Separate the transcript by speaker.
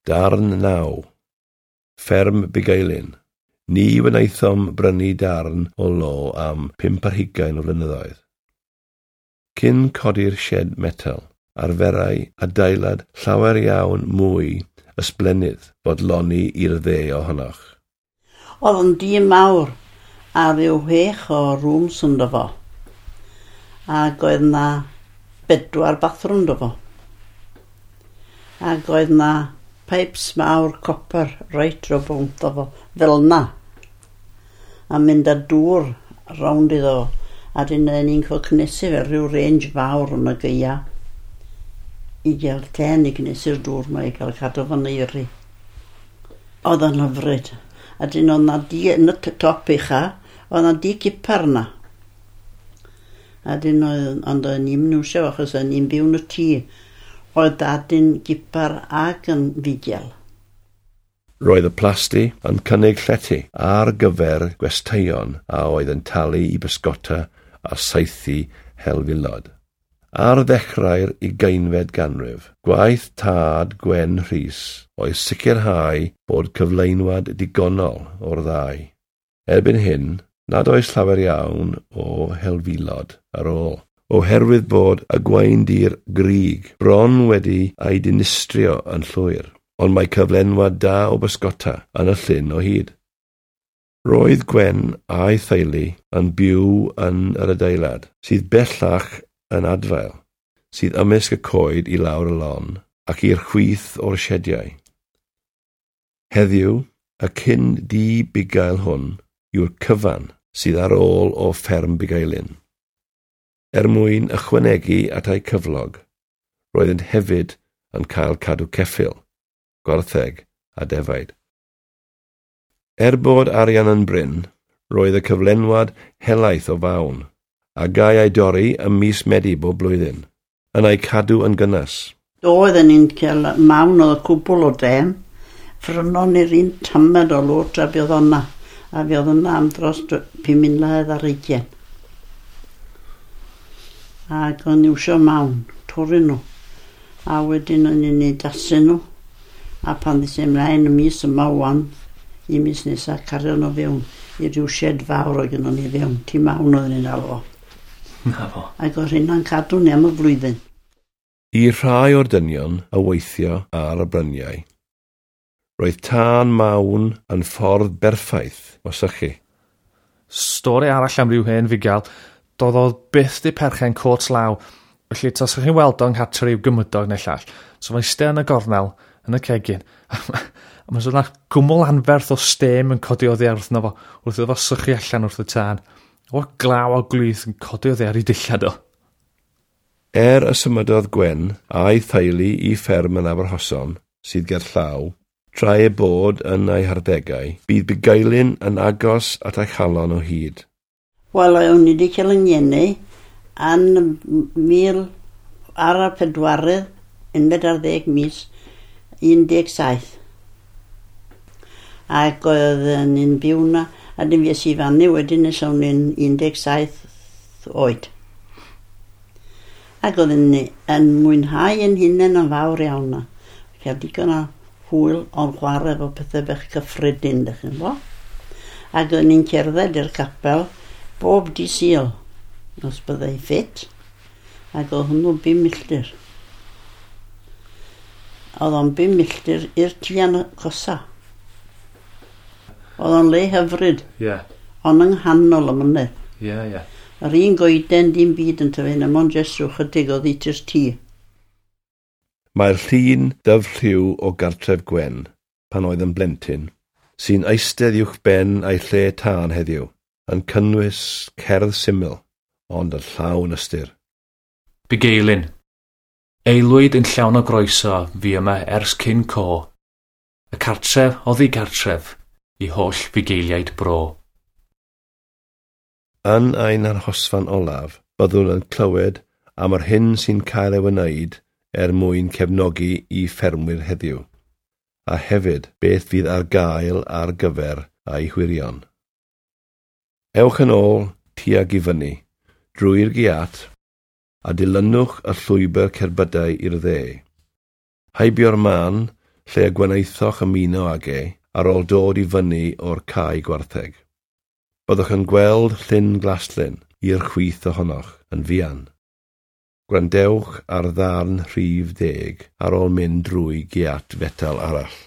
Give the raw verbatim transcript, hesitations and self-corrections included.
Speaker 1: Darn naw. Fferm Bugeilyn. Ni wnaethom brynu darn o lo am pump ar hugain o flynyddoedd. Cyn codi'r sied metel, arferai adeilad llawer iawn mwy ysblennydd fodloni i'r dde ohonoch.
Speaker 2: Oedd yn dŷ mawr a rhyw chwech o rooms ynddo fo. Ac oedd 'na bedwar bathroom ynddo fo. Ac oedd 'na pipes mawr copper reit rownd fo fel 'na. A mynd â dŵr rownd iddo fo. A dyn ni'n cael cynnesu fel rhyw range fawr yn y gaea i gael ten i gynnesu'r dŵr 'ma i gael cadw fo'n oeri. Oedd o'n hyfryd. A dyn oedd 'na dŷ yn y top ucha, oedd 'na dŷ cipar 'na. A dyn oedd, ond oedd ni'n iwsio achos oedd ni'n byw yn y tŷ. Oedd dad yn gipar ac yn fugel.
Speaker 1: Roedd y plasty yn cynnig llety ar gyfer gwesteion a oedd yn talu i bysgota a saethu helfilod. Ar ddechrau'r ugeinfed ganrif, gwaith tad Gwen Rhys oedd sicrhau bod cyflenwad digonol o'r ddau. Erbyn hyn, nad oes llawer iawn o helfilod ar ôl, oherwydd bod y gwaendir grug bron wedi ei dinistrio yn llwyr, ond mae cyflenwad da o bysgota yn y llyn o hyd. Roedd Gwen a'i theulu yn byw yn yr adeilad, sydd bellach yn adfail, sydd ymysg y coed i lawr y lon ac i'r chwith o'r siediau. Heddiw, y cyn dŷ bugail hwn yw'r cyfan sydd ar ôl o fferm Bugeilyn. Er mwyn ychwanegu at eu cyflog, roeddent hefyd yn cael cadw ceffyl, gwartheg a defaid. Er bod arian yn brin, roedd y cyflenwad helaeth o fawn, a gai ei dorri ym mis Medi bob blwyddyn, yn ei cadw yn gynnes.
Speaker 2: Doedden ni'n cael mawn oedd y cwbl o dem. Ffrynon ni'r un tamed o lot a fydd o'na. A fydd o'na am dros pum mlynedd ar ugain. Ac o'n iwsio mawn, torri nhw. A wedyn o'n i'n ei dasu nhw. A pan ddys ymlaen y mis yma wan, i mis nesaf, cario nhw fewn i ryw shed fawr oedd gynnon ni fewn. Tŷ mawn oedden ni'n alw fo.
Speaker 3: Na fo.
Speaker 2: Ac oedd hynna'n cadw ni am y flwyddyn.
Speaker 1: I rhai o'r dynion a weithio ar y bryniau, roedd tân mawn yn ffordd berffaith o sychu.
Speaker 3: Stori arall am ryw hen fugail, doedd o byth di perchen cot law, felly tasach chi'n weld o'n nghartre ryw gymydog neu llall. So mae'n eistedd yn y gornel, yn y cegin, a mae'n sôn gwmwl anferth o stêm yn codi oddi wrthno fo, wrth iddo fo sychu allan wrth y tân. O glaw o glwyth yn codi oddi ar ei dillad o.
Speaker 1: Er y symudodd Gwen a'i theulu i fferm yn Aberhosan, sydd gerllaw, tra ei bod yn ei harddegau, bydd Bugeilyn yn agos at ei chalon o hyd.
Speaker 2: Wel, o'n i wedi cael yng ngeni yn mil ar y pedwarydd, unfed ar ddeg mis, un deg saith. Ac oedd ni'n byw na, a dim fues i fyny wedyn nes o'n i'n un deg saith oed. Ac oedden ni yn mwynhau yn hunain yn fawr iawn na. Cael digon o hwyl o'n chwarae efo pethau bach cyffredin, dych chi'n bo. Ac oedden ni'n cerdded i'r capel bob dydd Sul, os byddai ffit, ac oedd hwnnw bum milltir. Oedd o'n bum milltir i'r tŷ agosa. Oedd o'n le hyfryd,
Speaker 3: Ie,
Speaker 2: ond yng nghanol y mynydd.
Speaker 3: ie, ie.
Speaker 2: Yr un goeden dim byd yn tyfu, na mond jyst rhyw chydig o ddity'r tŷ.
Speaker 1: Mae'r llun dyfrlliw o gartref Gwen, pan oedd yn blentyn, sy'n eistedd uwch ben ei lle tân heddiw, yn cynnwys cerdd syml, ond yn llawn ystyr.
Speaker 3: Bugeilyn. Aelwyd yn llawn o groeso fi yma ers cyn co. Y cartref oddi gartref i holl fugeiliaid bro.
Speaker 1: Yn ein arhosfan olaf, byddwn yn clywed am yr hyn sy'n cael ei wneud er mwyn cefnogi i ffermwyr heddiw, a hefyd beth fydd ar gael ar gyfer ei hwyrion. Ewch yn ôl tuag i fyny, drwy'r giat, a dilynwch y llwybr cerbydau i'r dde. Heibio'r man lle y gwnaethoch ymuno ag e ar ôl dod i fyny o'r cae gwartheg. Byddwch yn gweld Llyn Glaslyn i'r chwith ohonoch yn fuan. Gwrandewch ar ddarn rhif deg ar ôl mynd drwy giat fetel arall.